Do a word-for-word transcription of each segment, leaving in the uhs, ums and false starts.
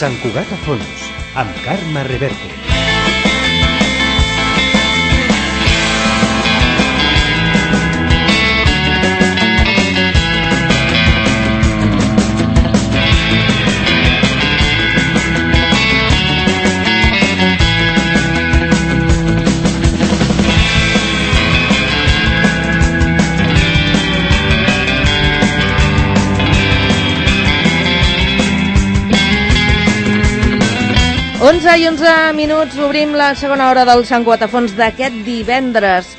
Sant Cugat a fons, amb Carme Reverte. onze i onze minuts, obrim la segona hora del Sant Cugat a fons d'aquest divendres.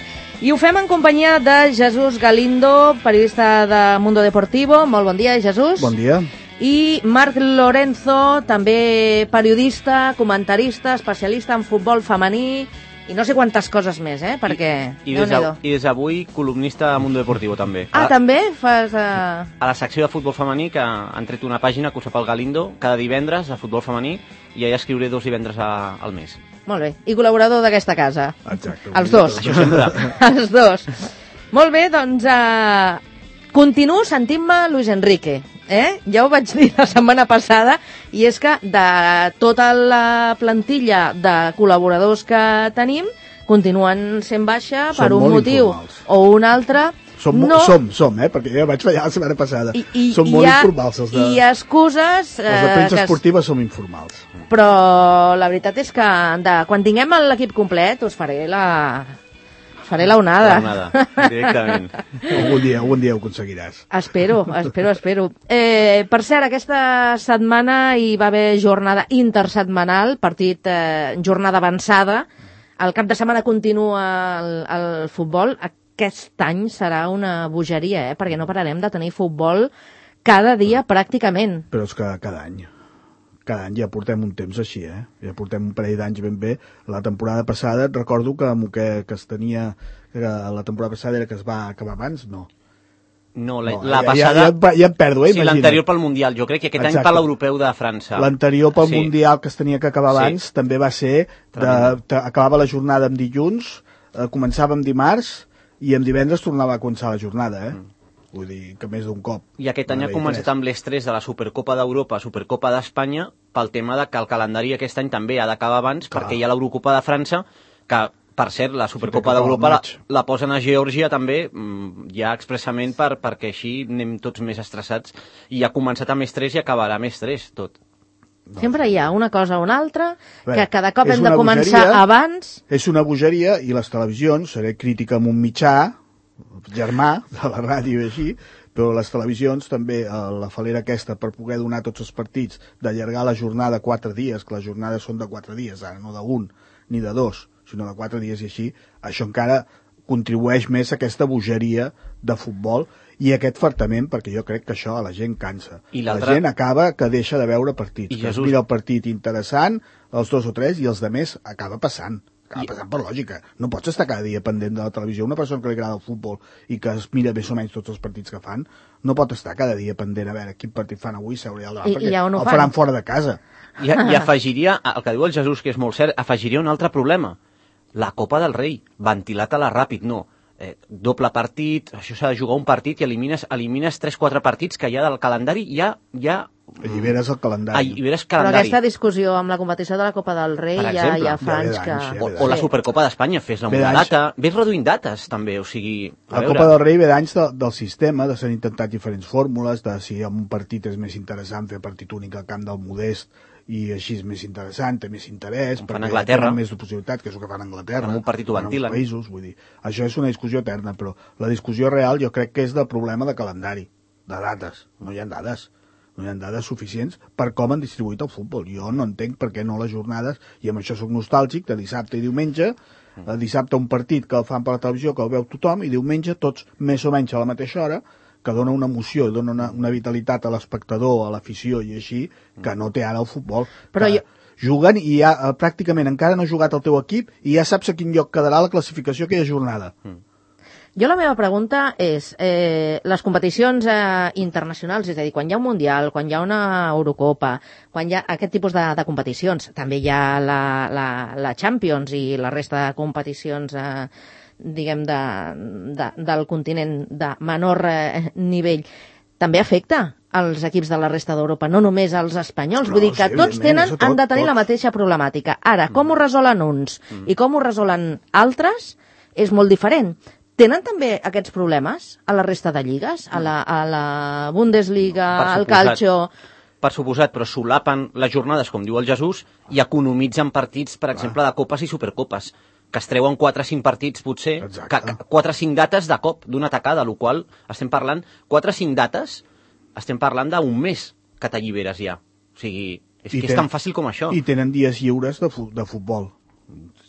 I ho fem en companyia de Jesús Galindo, periodista de Mundo Deportivo. Molt bon dia, Jesús. Bon dia. I Marc Lorenzo, també periodista, comentarista, especialista en futbol femení i no sé quantes coses més, eh? Perquè... I, i, des, de, i des d'avui columnista a Mundo Deportivo, també. Ah, cada, també? Fas... Uh... A la secció de futbol femení, que han tret una pàgina que ho sap el Galindo, cada divendres de futbol femení, i ja escriuré dos divendres a, al mes. Molt bé. I col·laborador d'aquesta casa. Exacte. Els dos. Això sempre. Els dos. Molt bé, doncs... Uh... Continuo sentint-me Luis Enrique, eh? Ja ho vaig dir la setmana passada, i és que de tota la plantilla de col·laboradors que tenim, continuen sent baixa Som per un motiu informals. o un altre. Som, no... som, som, eh? Perquè jo vaig fallar la setmana passada. I, i, som molt hi ha, informals, els de, i excuses... els de premsa que es... esportiva som informals. Però la veritat és que de, quan tinguem l'equip complet us faré la... Faré la onada. La onada, directament. Algun dia, algun dia ho aconseguiràs. Espero, espero, espero. Eh, per cert, aquesta setmana hi va haver jornada intersetmanal, partit, eh, jornada avançada. El cap de setmana continua el, el futbol. Aquest any serà una bogeria, eh, perquè no pararem de tenir futbol cada dia pràcticament. Però és que cada any. Cada any ja portem un temps així, eh? Ja portem un parell d'anys ben bé. La temporada passada, recordo que, que, que es tenia... Que la temporada passada era que es va acabar abans, no. No, la, no la ja, passada... Ja, ja, ja em perdo, eh? Sí, l'anterior pel Mundial, jo crec que aquest Exacte. any per l'Europeu de França. L'anterior pel sí. Mundial que es tenia que acabar abans, sí. també va ser... De, de, acabava la jornada en dilluns, eh, començava en dimarts, i en divendres tornava a començar la jornada, eh? Mm. Vull dir que més d'un cop. I aquest any ha començat amb l'estrès de la Supercopa d'Europa, Supercopa d'Espanya, pel tema de que el calendari aquest any també ha d'acabar abans, Clar. perquè hi ha l'Eurocopa de França, que, per cert, la Supercopa sí, d'Europa la, la posen a Geòrgia també, ja expressament per, perquè així anem tots més estressats, i ha començat amb estrès i acabarà amb estrès, tot. No. Sempre hi ha una cosa o una altra, Bé, que cada cop hem de començar bogeria, abans... És una bogeria, i les televisions, seré crítica amb un mitjà, germà, de la ràdio i així, però les televisions també, la falera aquesta, per poder donar tots els partits, d'allargar la jornada quatre dies, que les jornades són de quatre dies, ara no d'un ni de dos, sinó de quatre dies i així, això encara contribueix més a aquesta bogeria de futbol i aquest fartament, perquè jo crec que això a la gent cansa. I la gent acaba que deixa de veure partits, I que Jesús... es mira el partit interessant, els dos o tres, i els de més acaba passant. Acaba passant per lògica. No pots estar cada dia pendent de la televisió. Una persona que li agrada el futbol i que es mira més o menys tots els partits que fan, no pot estar cada dia pendent a veure quin partit fan avui, seure al davant, perquè no el faran fora de casa. I, I afegiria, el que diu el Jesús, que és molt cert, afegiria un altre problema. La Copa del Rei, ventilat a la ràpid, no. Eh, doble partit, això s'ha de jugar un partit i elimines, elimines tres quatre partits que hi ha del calendari, ja... ja Alliberes el calendari. Alliberes calendari. Però aquesta discussió amb la competició de la Copa del Rei ja, ja fa anys que... Ja o, o la Supercopa d'Espanya, fes-la una data. Ves reduint dates, també, o sigui... La Copa del Rei ve d'anys de, del sistema, de s'han intentat diferents fórmules, de si un partit és més interessant fer partit únic al camp del Modest, i així és més interessant, té més interès, perquè Anglaterra. Tenen més possibilitat, que és el que fan a Anglaterra, en un partit ho ventilen. Països, vull dir, això és una discussió eterna, però la discussió real jo crec que és del problema de calendari, de dates, no hi ha dades. No hi ha dades suficients per com han distribuït el futbol. Jo no entenc per què no les jornades, i amb això soc nostàlgic, de dissabte i diumenge, mm. dissabte un partit que el fan per la televisió, que el veu tothom, i diumenge tots més o menys a la mateixa hora, que dona una emoció, dona una, una vitalitat a l'espectador, a l'afició i així, que no té ara el futbol. Però jo... Juguen i ja eh, pràcticament encara no ha jugat el teu equip i ja saps a quin lloc quedarà la classificació aquella jornada. Mm. Jo la meva pregunta és, eh, les competicions eh, internacionals, és a dir, quan hi ha un Mundial, quan hi ha una Eurocopa, quan hi ha aquest tipus de, de competicions, també hi ha la, la, la Champions i la resta de competicions, eh, diguem, de, de, del continent de menor eh, nivell, també afecta als equips de la resta d'Europa, no només als espanyols. No, Vull dir que sí, tots evidentment, tenen, això tot, han de tenir la tots. mateixa problemàtica. Ara, com ho resolen uns i com ho resolen altres és molt diferent. Tenen també aquests problemes a la resta de lligues? A la, a la Bundesliga, Per al suposat. calcio... Per suposat, però solapen les jornades, com diu el Jesús, i economitzen partits, per exemple, de copes i supercopes, que es treuen quatre o cinc partits, potser, Exacte. quatre o cinc dates de cop, d'una tacada, el qual estem parlant, quatre o cinc dates, estem parlant d'un mes que t'alliberes ja. O sigui, és I que ten- és tan fàcil com això. I tenen dies lliures de, fu de futbol.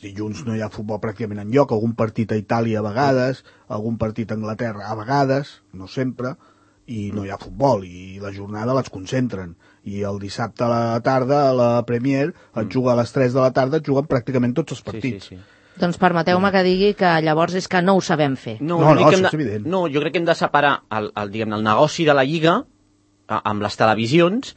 Dilluns no hi ha futbol pràcticament enlloc, algun partit a Itàlia a vegades, algun partit a Anglaterra a vegades, no sempre, i no hi ha futbol, i la jornada les concentren. I el dissabte a la tarda, a la Premier, et juga a les tres de la tarda, et juguen pràcticament tots els partits. Sí, sí, sí. Doncs permeteu-me que digui que llavors és que no ho sabem fer. No, No, jo crec no, que hem això és de, evident. no, jo crec que hem de separar el, el, diguem, el negoci de la Lliga a, amb les televisions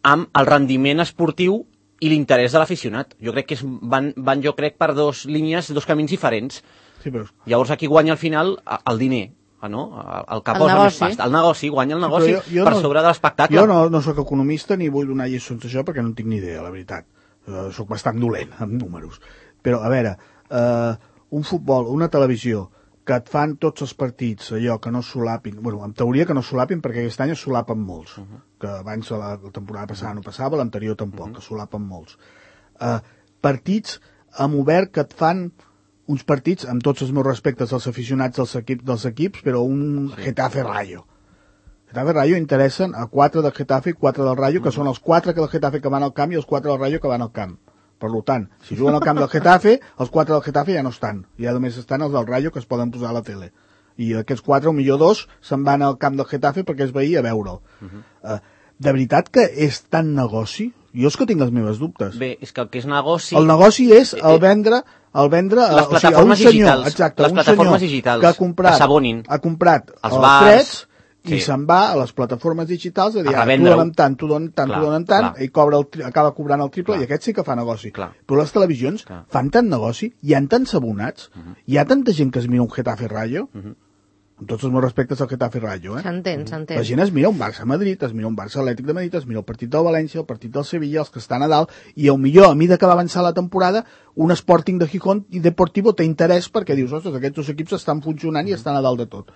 amb el rendiment esportiu i l'interès de l'aficionat. Jo crec que és, van, van, jo crec, per dos línies, dos camins diferents. Sí, però... Llavors aquí guanya al final el diner, no? El, el que El posa més negoci. pasta. El negoci, guanya el Sí, negoci però jo- jo per no- sobre de l'espectacle. Jo no, no sóc economista ni vull donar lliçons d'això perquè no en tinc ni idea, la veritat. Uh, sóc bastant dolent amb números. Però, a veure, uh, un futbol, una televisió, que et fan tots els partits, allò que no solapin, bueno, en teoria que no solapin perquè aquest any es solapen molts, uh -huh. que abans la, la temporada passada no passava, l'anterior tampoc, uh -huh. que solapen molts. Uh, partits amb obert que et fan uns partits, amb tots els meus respectes als aficionats dels equips, dels equips però un sí. Getafe Rayo. Getafe Rayo interessen a quatre del Getafe i quatre del Rayo, que són els quatre del Getafe que van al camp i els quatre del Rayo que van al camp. Per tant, si juguen al camp del Getafe, els quatre del Getafe ja no estan. Ja només estan els del Rayo que es poden posar a la tele. I aquests quatre, o millor dos, se'n van al camp del Getafe perquè es veia a veure'l. Uh -huh. uh, de veritat que és tan negoci? Jo és que tinc les meves dubtes. Bé, és que el que és negoci... El negoci és el vendre... El vendre les o sigui, a un plataformes senyor, digitals, exacte, les un plataformes senyor digitals que ha comprat, que s'abonin. ha comprat Els els, bars, drets sí. i se'n va a les plataformes digitals a dir, A ah, tu revendre-ho. donen tant, tu donen tant, Clar, tu donen tant, clar. i cobra el, tri- acaba cobrant el triple, Clar. i aquest sí que fa negoci. Clar. Però les televisions Clar. fan tant negoci, hi ha tants abonats, uh -huh. hi ha tanta gent que es mira un Getafe Rayo, uh -huh. amb tots els meus respectes al Getafe Rayo, eh? S'entén, s'entén. La gent es mira un Barça-Madrid, es mira un Barça-Atlètic de Madrid, es mira el partit del València, el partit del Sevilla, els que estan a dalt, i al millor, a mida que va avançar la temporada, un Sporting de Gijón i Deportivo té interès perquè dius, ostres, aquests dos equips estan funcionant i estan a dalt de tot.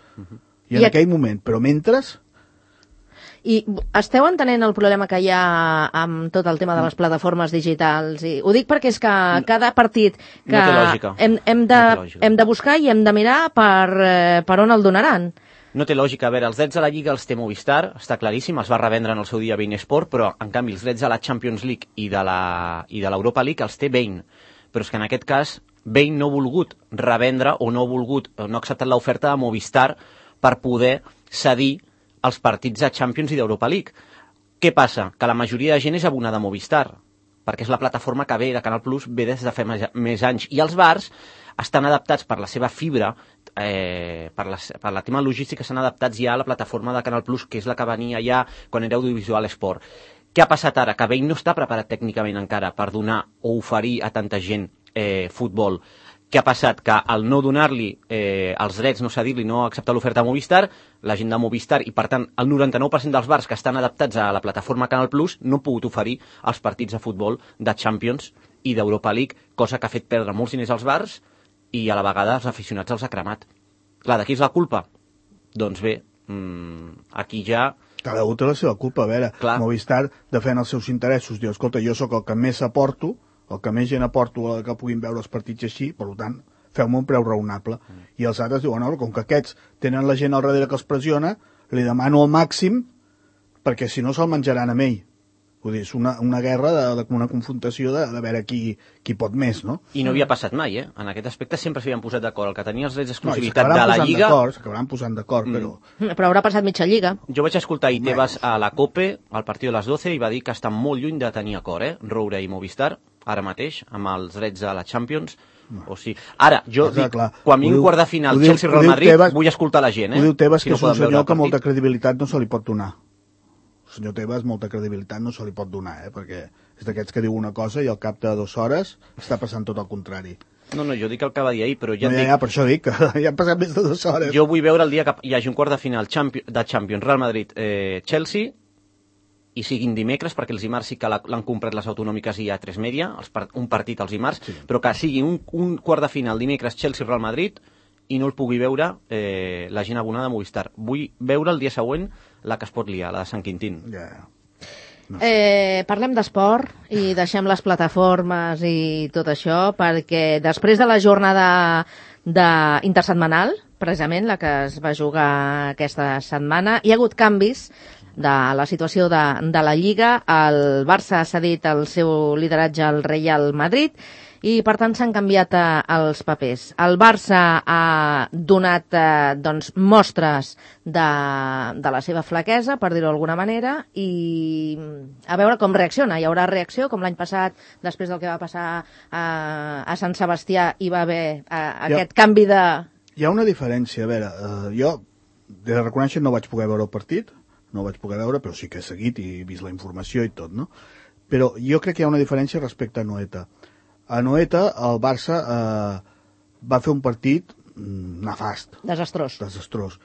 I en I a- aquell moment, però mentre... I esteu entenent el problema que hi ha amb tot el tema de les plataformes digitals? I ho dic perquè és que cada partit que No té lògica. hem, hem, de, No té lògica. hem de buscar i hem de mirar per, eh, per on el donaran. No té lògica. A veure, els drets a la Lliga els té Movistar, està claríssim, els va revendre en el seu dia Bein Sport, però en canvi els drets a la Champions League i de la i de l'Europa League els té Bein. Però és que en aquest cas Bein no ha volgut revendre o no ha volgut, no ha acceptat l'oferta de Movistar per poder cedir els partits de Champions i d'Europa League. Què passa? Que la majoria de gent és abonada a Movistar, perquè és la plataforma que ve de Canal Plus, ve des de fa més, més anys. I els bars estan adaptats per la seva fibra, eh, per, la, per la tema logística, estan adaptats ja a la plataforma de Canal Plus, que és la que venia ja quan era Audiovisual Esport. Què ha passat ara? Que Bein no està preparat tècnicament encara per donar o oferir a tanta gent eh, futbol. Què ha passat? Que al no donar-li eh, els drets, no cedir-li, no acceptar l'oferta a Movistar, la gent de Movistar i, per tant, el noranta-nou per cent dels bars que estan adaptats a la plataforma Canal Plus no han pogut oferir els partits de futbol de Champions i d'Europa League, cosa que ha fet perdre molts diners als bars i a la vegada els aficionats els ha cremat. Clar, de qui és la culpa? Doncs bé, mmm, aquí ja... Cada un té la seva culpa, a veure, Clar. Movistar defèn els seus interessos, diu, escolta, jo sóc el que més aporto, el que més gent aporto a que puguin veure els partits així, per tant, feu-me un preu raonable. Mm. I els altres diuen, no, com que aquests tenen la gent al darrere que els pressiona, li demano el màxim perquè si no se'l menjaran amb ell. Vull dir, és una, una guerra, de, de, una confrontació de, de veure qui, qui pot més, no? I no havia passat mai, eh? En aquest aspecte sempre s'havien posat d'acord. El que tenia els drets No, i d'exclusivitat s'acabaran de la posant Lliga... d'acord, s'acabaran posant d'acord, Mm. però... Però haurà passat mitja lliga. Jo vaig escoltar i Tebas a la COPE, al partit de les doce, i va dir que estan molt lluny de tenir acord, eh? Roure i Movistar, ara mateix, amb els drets de la Champions. O sigui, ara, jo Exacte, dic, clar. quan Ho vingui diu- quart de final ho diu- Chelsea-Real ho diu Madrid, Tebas- vull escoltar la gent, eh? Ho diu Tebas, Si que no és un poden veure senyor el que partit. molta credibilitat no se li pot donar. El senyor Tebas molta credibilitat no se li pot donar, eh? Perquè és d'aquests que diu una cosa i al cap de dues hores està passant tot el contrari. No, no, jo dic el que va dir ahir, però ja no, et ja, dic... Ja, per això dic que ja han passat més de dues hores. Jo vull veure el dia que hi hagi un quart de final de Champions, Real Madrid, eh, Chelsea, i siguin dimecres, perquè els dimarts sí que l'han comprat les autonòmiques i a tres Media, els part, un partit els dimarts, sí. Però que sigui un, un quart de final dimecres Chelsea-Real Madrid i no el pugui veure eh, la gent abonada de Movistar. Vull veure el dia següent la que es pot liar, la de Sant Quintín. Ja, yeah. No. Eh, parlem d'esport i deixem les plataformes i tot això, perquè després de la jornada de intersetmanal, precisament la que es va jugar aquesta setmana, hi ha hagut canvis de la situació de, de la Lliga. El Barça ha cedit el seu lideratge al Real Madrid i, per tant, s'han canviat eh, els papers. El Barça ha donat eh, doncs, mostres de, de la seva flaquesa, per dir-ho d'alguna manera, i a veure com reacciona. Hi haurà reacció, com l'any passat, després del que va passar a, a Sant Sebastià, hi va haver eh, aquest ja, canvi de... Hi ha una diferència. A veure, eh, jo, de reconèixer, no vaig poder veure el partit, no ho vaig poder veure, però sí que he seguit i he vist la informació i tot, no? Però jo crec que hi ha una diferència respecte a Anoeta. A Anoeta, el Barça eh, va fer un partit nefast. Desastrós. Desastrós.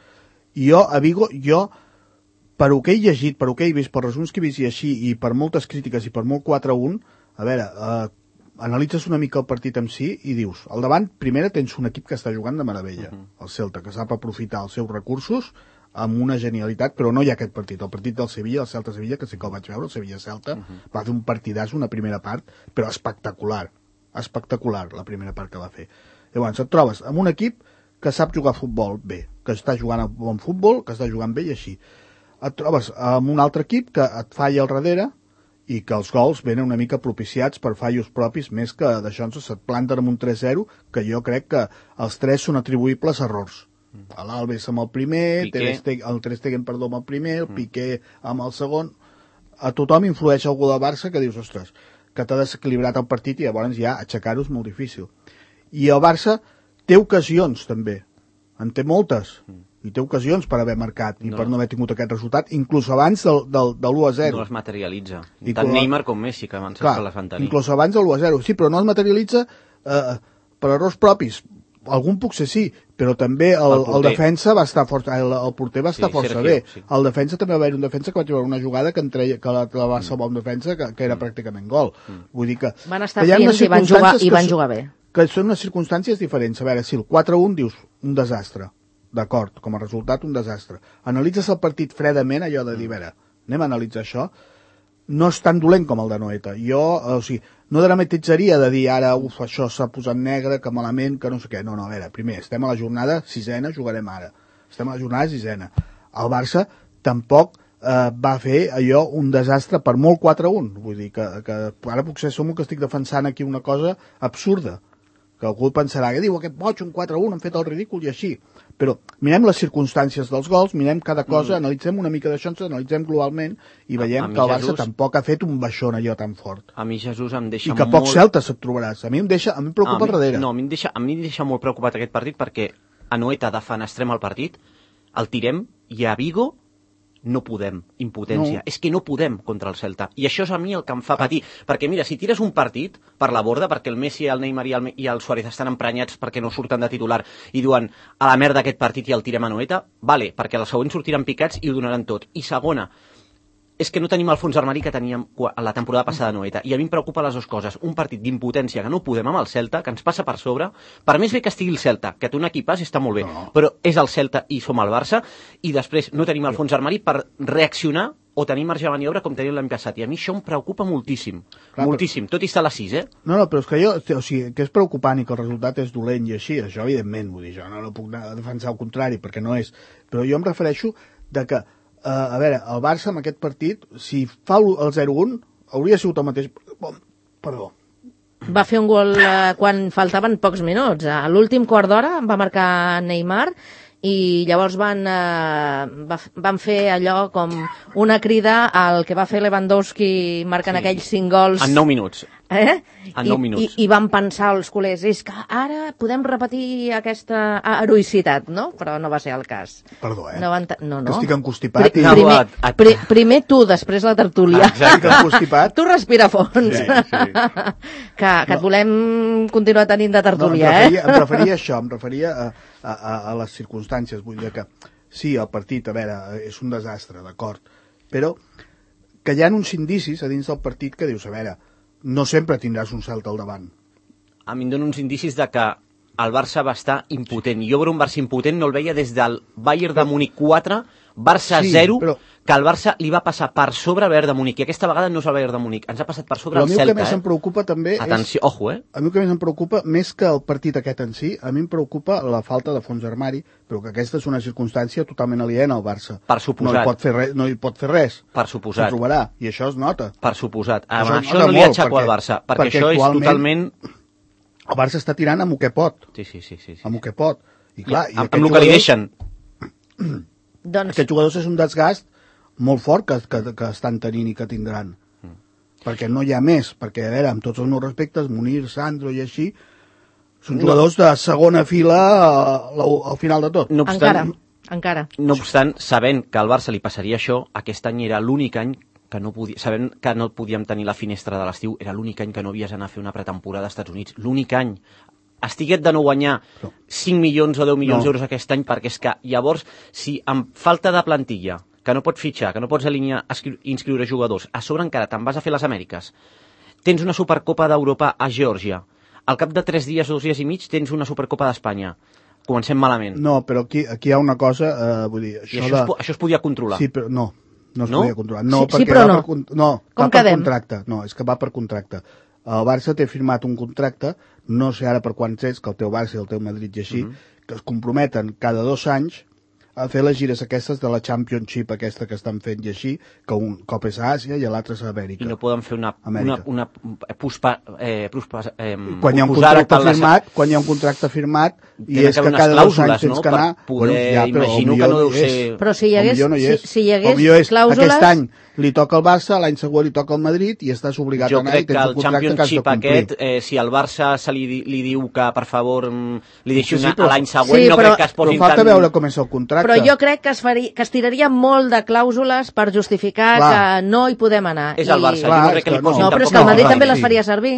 I jo, a Vigo, jo, per ho que he llegit, per ho que he vist, per resums que he vist i així, i per moltes crítiques i per molt quatre a un, a veure, eh, analitzes una mica el partit en si i dius, al davant, primera, tens un equip que està jugant de meravella, uh -huh. el Celta, que sap aprofitar els seus recursos amb una genialitat, però no hi ha aquest partit. El partit del Sevilla, el Celta-Sevilla, que sí que el vaig veure, el Sevilla-Celta, uh -huh. va fer un partidàs, una primera part, però espectacular. espectacular la primera part que va fer. Llavors et trobes amb un equip que sap jugar a futbol bé, que està jugant a bon futbol, que està jugant bé i així. Et trobes amb un altre equip que et falla al darrere i que els gols venen una mica propiciats per fallos propis, més que d'això ens se't planten amb un tres zero, que jo crec que els tres són atribuïbles a errors. Mm. L'Alves amb el primer, Stegen, el Ter Stegen, perdó, amb el primer, el mm. Piqué amb el segon. A tothom influeix algú del Barça que dius, ostres, que t'ha desequilibrat el partit i llavors ja aixecar-ho és molt difícil. I el Barça té ocasions també, en té moltes, i té ocasions per haver marcat i no. per no haver tingut aquest resultat, inclús abans del, del, de l'u a zero. No les materialitza. I tant Neymar com Messi, que abans clar, que les van tenir. Inclús abans de l'u a zero, sí, però no es materialitza eh, per errors propis. Algun potser sí, però també el, el, el defensa va estar força, el, el porter va estar sí, força Sergio, bé. Sí. El defensa també va haver un defensa que vaig veure una jugada que, entreia, que la, la va salvar un defensa que, que era mm. pràcticament gol. Mm. Vull dir que... Van estar fins i van jugar, i van jugar bé. Que són unes circumstàncies diferents. A veure, si el quatre a un dius un desastre, d'acord, com a resultat un desastre. Analitzes el partit fredament, allò de dir, a veure, anem a analitzar això, no és tan dolent com el de Noeta. Jo, o sigui, no dramatitzaria de dir ara, uf, això s'ha posat negre, que malament, que no sé què. No, no, a veure, primer, estem a la jornada sisena, jugarem ara. Estem a la jornada sisena. El Barça tampoc eh, va fer allò un desastre per molt quatre a un. Vull dir que, que ara potser som que estic defensant aquí una cosa absurda. Que algú pensarà, que diu, aquest boig, un quatre a un, han fet el ridícul i així. Però mirem les circumstàncies dels gols, mirem cada cosa, mm. analitzem una mica d'això, ens analitzem globalment i veiem que el Barça Jesús, tampoc ha fet un baixón allò tan fort. A mi Jesús em deixa molt... I que molt... pocs celtes et trobaràs. A mi em deixa, a mi em preocupa a mi, darrere. No, a mi, em deixa, a mi em deixa molt preocupat aquest partit perquè a Noeta defenestrem el partit, el tirem i a Vigo no podem, impotència. No. És que no podem contra el Celta. I això és a mi el que em fa patir. Perquè mira, si tires un partit per la borda, perquè el Messi, el Neymar i el, i el Suárez estan emprenyats perquè no surten de titular i diuen a la merda aquest partit i el tirem a Noeta, vale, perquè el següent sortiran picats i ho donaran tot. I segona, és que no tenim el fons armari que teníem la temporada passada a Noeta. I a mi em preocupa les dues coses. Un partit d'impotència que no podem amb el Celta, que ens passa per sobre. Per més bé que estigui el Celta, que té un equipàs està molt bé, no. però és el Celta i som el Barça, i després no tenim el fons armari per reaccionar o tenir marge de maniobra com tenim l'any passat. I a mi això em preocupa moltíssim. Clar, moltíssim, tot i estar a les sis, eh? No, no, però és que jo, o sigui, que és preocupant i que el resultat és dolent i així, això evidentment, vull dir, jo no, no puc anar a defensar el contrari, perquè no és. Però jo em refereixo de que Uh, a veure, el Barça amb aquest partit, si fa el zero un, hauria sigut el mateix... Perdó. Va fer un gol uh, quan faltaven pocs minuts. A l'últim quart d'hora va marcar Neymar i llavors van, uh, va, van fer allò com una crida al que va fer Lewandowski marcant sí. aquells cinc gols... En nou minuts. Eh? En nou I, minuts. I, I van pensar els culers, és que ara podem repetir aquesta heroïcitat, no? Però no va ser el cas. Perdó, eh? No van no, no. Que estic encostipat. Pri i... primer, et- et- pri primer tu, després la tertúlia. Estic encostipat. Tu respira fons. Sí, sí. Que, que et volem continuar tenint de No, em, tertúlia, referia, eh? em referia a això, em referia a, a, a, a les circumstàncies. Vull dir que sí, el partit, a veure, és un desastre, d'acord, però que hi ha uns indicis a dins del partit que dius, a veure, no sempre tindràs un celt al davant. A mi em dona uns indicis de que el Barça va estar impotent. Jo veure un Barça impotent no el veia des del Bayern de Múnich quatre, Barça Sí, zero, però- que el Barça li va passar per sobre el Bayern de Múnich. I aquesta vegada no és el Bayern de Múnich, ens ha passat per sobre Però a el mi el que Celta. més em Eh? preocupa també Atenció, és... ojo, eh? A mi el que més em preocupa, més que el partit aquest en si, a mi em preocupa la falta de fons d'armari, però que aquesta és una circumstància totalment aliena al Barça. Per suposat. No hi pot fer res. No hi pot fer res. Per suposat. S'ho trobarà, i això es nota. Per suposat. Amb Això això, nota no li molt, aixeco al perquè- Barça, perquè, perquè això és actualment- totalment... El Barça està tirant amb el que pot, Sí, sí, sí. sí, sí. amb el que pot. I clar, i, amb, aquests amb el que li jugadors- deixen. Doncs, Aquests jugadors és un desgast molt fort que, que, que estan tenint i que tindran. Mm. Perquè no hi ha més, perquè, a veure, amb tots els meus respectes, Munir, Sandro i així, són jugadors de segona fila al, al final de tot. No obstant, encara, encara. no obstant, sabent que al Barça li passaria això, aquest any era l'únic any que no podia, sabent que no podíem tenir la finestra de l'estiu, era l'únic any que no havies d'anar a fer una pretemporada als Estats Units. L'únic any. Estiguet de no guanyar cinc milions o deu milions No. d'euros aquest any, perquè és que llavors, si amb falta de plantilla, que no pots fitxar, que no pots alinear, escri- inscriure jugadors, a sobre encara te'n vas a fer les Amèriques, tens una Supercopa d'Europa a Geòrgia, al cap de tres dies, dos dies i mig, tens una Supercopa d'Espanya. Comencem malament. No, però aquí, aquí hi ha una cosa, eh, vull dir, I això, això, de... es, po- això es podia controlar. Sí, però no, no es No? podia controlar. No, Sí- sí, perquè però va no. Per, con- no, Com va per quedem? contracte. No, és que va per contracte. El Barça té firmat un contracte, no sé ara per quants és, que el teu Barça i el teu Madrid i així, Mhm. que es comprometen cada dos anys a fer les gires aquestes de la Championship aquesta que estan fent i així, que un cop és a Àsia i l'altre és a Amèrica. I no poden fer una, una, Amèrica. una puspa, eh, puspa, eh, quan hi ha un posposar-ho contracte per les- firmat, quan hi ha un contracte firmat i Tenen és que que haver cada unes dos anys clàusules, tens no? que Per anar... poder- però imagino el que no millor deu és. ser- Però si hi El hagués, millor no hi si, és. si hi hagués El millor és, clàusules... aquest any li toca al Barça, l'any següent li toca al Madrid i estàs obligat Jo a anar crec i que tens el un contracte que has de Championship complir. aquest, eh, si el Barça se li, di- li diu que, per favor, mm, li deixi Sí, sí, una, però- a l'any següent, Sí, no però- crec que es Però posin falta tan... veure com és el contracte. Però jo crec que es, faria, que es tiraria molt de clàusules per justificar Clar. que no hi podem anar. És el Barça, jo Clar, no és crec que li que posin No, no, però és tampoc que el no, Madrid no, també les sí. faria servir.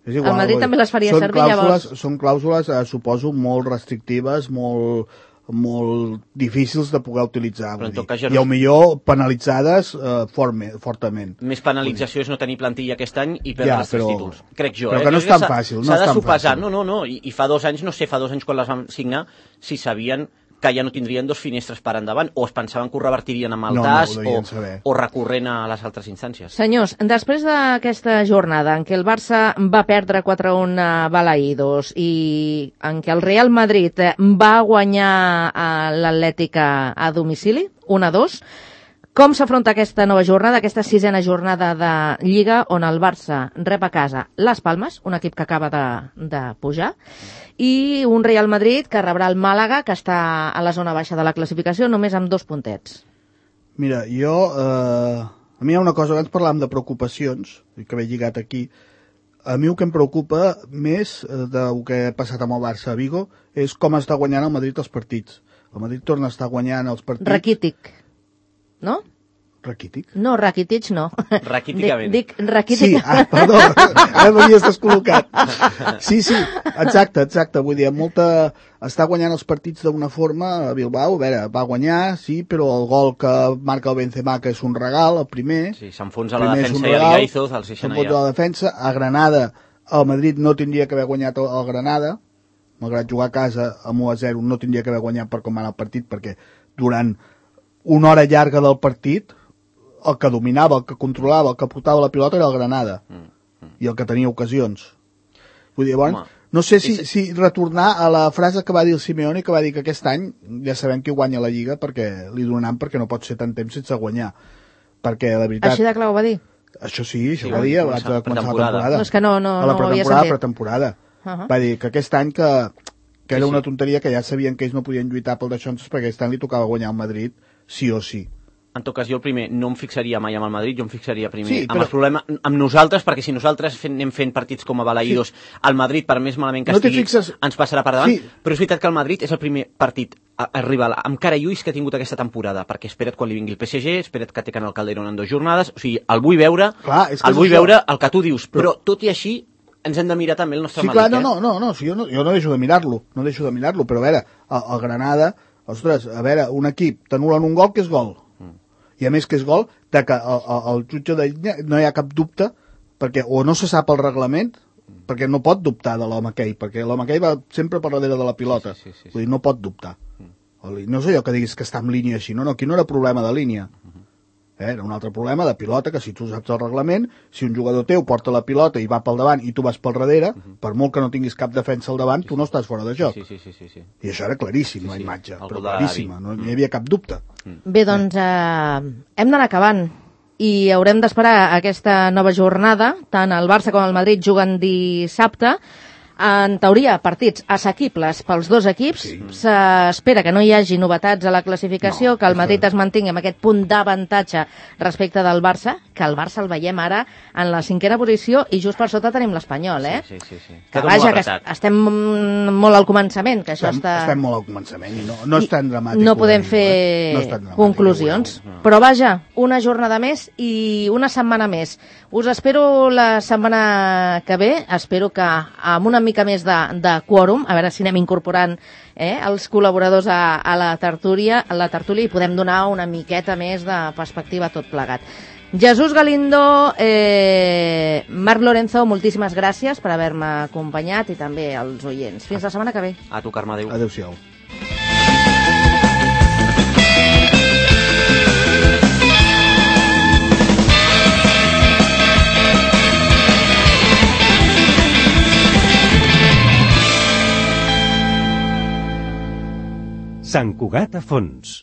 És igual, el Madrid vull dir, també les faria són servir, clàusules, llavors. Són clàusules, eh, suposo, molt restrictives, molt molt difícils de poder utilitzar. Però en Vull tot dir. cas ja I no- el millor penalitzades eh, forme, fortament. Més penalització és no tenir plantilla aquest any i perdre Ja, els tres però- títols. Crec jo. però eh? que no Jo és crec tan s'ha- fàcil, no S'ha és de tan sopesar. fàcil. No, no, no. I, I fa dos anys, no sé, fa dos anys quan les vam signar, si sabien que ja no tindrien dos finestres per endavant, o es pensaven que ho revertirien amb el No, no, tas, ho devien o, saber. o recorrent a les altres instàncies. Senyors, després d'aquesta jornada en què el Barça va perdre quatre a un a Balaïdos i en què el Real Madrid eh, va guanyar a l'Atlètica a domicili, un a dos, com s'afronta aquesta nova jornada, aquesta sisena jornada de Lliga, on el Barça rep a casa Las Palmes, un equip que acaba de, de pujar, i un Real Madrid que rebrà el Màlaga, que està a la zona baixa de la classificació, només amb dos puntets. Mira, jo... Eh, a mi hi ha una cosa, abans parlàvem de preocupacions, i que m'he lligat aquí. A mi el que em preocupa més eh, del que ha passat amb el Barça a Vigo és com està guanyant el Madrid els partits. El Madrid torna a estar guanyant els partits... Rakitic, no? Raquític? No, Rakitic no. Raquíticament. Dic, dic Rakitic. Sí, ah, perdó, ara m'havies descol·locat. Sí, sí, exacte, exacte. Vull dir, amb molta... està guanyant els partits d'una forma a Bilbao. A veure, va guanyar, sí, però el gol que marca el Benzema, que és un regal, el primer... Sí, s'enfonsa la primer és un defensa i regal, l'Igaizos, el seixanta s'enfonsa ja. la defensa. A Granada, el Madrid no tindria que haver guanyat el, el Granada, malgrat jugar a casa amb u a zero, no tindria que haver guanyat per com va anar el partit, perquè durant una hora llarga del partit el que dominava, el que controlava, el que portava la pilota era el Granada, Mm, mm. i el que tenia ocasions. Vull dir, llavors, Home, no sé si, és- si retornar a la frase que va dir el Simeone, que va dir que aquest any ja sabem qui guanya la Lliga perquè li donaran, perquè no pot ser tant temps sense guanyar. Perquè, la veritat... Així de clar ho va dir. Això sí, això Sí, ho va dir va abans de començar començar la pretemporada. temporada. No, és que no- no- a la no ho havia pretemporada, sentit. pretemporada. Uh-huh. Va dir que aquest any que, que era Sí, sí. una tonteria, que ja sabien que ells no podien lluitar pel Deixonses perquè aquest any li tocava guanyar al Madrid sí o sí. en tot cas jo el primer no em fixaria mai amb el Madrid, jo em fixaria primer Sí, amb però- el problema, amb nosaltres, perquè si nosaltres fem, anem fent partits com a balaïdos, el Madrid, per més malament que No t'hi estigui, fixes- ens passarà per davant, Sí. però és veritat que el Madrid és el primer partit a, a rival amb cara i ulls que ha tingut aquesta temporada, perquè espera't quan li vingui el P S G, espera't que té en el Calderón en dues jornades, o sigui, el vull veure, Clar, és que el és vull això. veure el que tu dius, però, però tot i així ens hem de mirar també el nostre Sí, Madrid, clar, no, eh? no, no, no, si jo no, jo no deixo de mirar-lo, no deixo de mirar-lo, però a veure, el, el Granada, ostres, a veure, un equip t'anul·len un gol que és gol, i a més que és gol, de que el, el, el jutge de línia no hi ha cap dubte, perquè o no se sap el reglament, perquè no pot dubtar de l'home aquell, perquè l'home aquell va sempre per darrere de la pilota, Sí, sí, sí, sí. vull dir, no pot dubtar. No és allò que diguis que està en línia així, no, no, aquí no era problema de línia. Eh, era un altre problema de pilota, que si tu saps el reglament, si un jugador teu porta la pilota i va pel davant i tu vas pel darrere, per molt que no tinguis cap defensa al davant, tu no estàs fora de joc. Sí, sí, sí, sí, sí. I això era claríssim, Sí, la sí, imatge, el però gol de la claríssima, Gavi. no hi havia cap dubte. Bé, doncs eh, hem d'anar acabant i haurem d'esperar aquesta nova jornada. Tant el Barça com el Madrid juguen dissabte. En teoria, partits assequibles pels dos equips. Sí. S'espera que no hi hagi novetats a la classificació, No, que el això- Madrid es mantingui amb aquest punt d'avantatge respecte del Barça, que el Barça el veiem ara en la cinquena posició i just per sota tenim l'Espanyol, eh? Sí, sí, sí. sí. Que Està tot vaja, molt que apretat. estem molt al començament, que això Estem, està... estem molt al començament i no, no és tan dramàtic. No ho podem diu, fer eh? No és tan dramàtic, conclusions. ho veureu. Però vaja, una jornada més i una setmana més. Us espero la setmana que ve, espero que amb una mica més de, de quòrum, a veure si anem incorporant eh, els col·laboradors a, a la tertúlia, a la tertúlia i podem donar una miqueta més de perspectiva a tot plegat. Jesús Galindo, eh, Marc Lorenzo, moltíssimes gràcies per haver-me acompanyat i també als oients. Fins la setmana que ve. A tu, Carme, adéu. Adéu-siau. Sant Cugat a fons.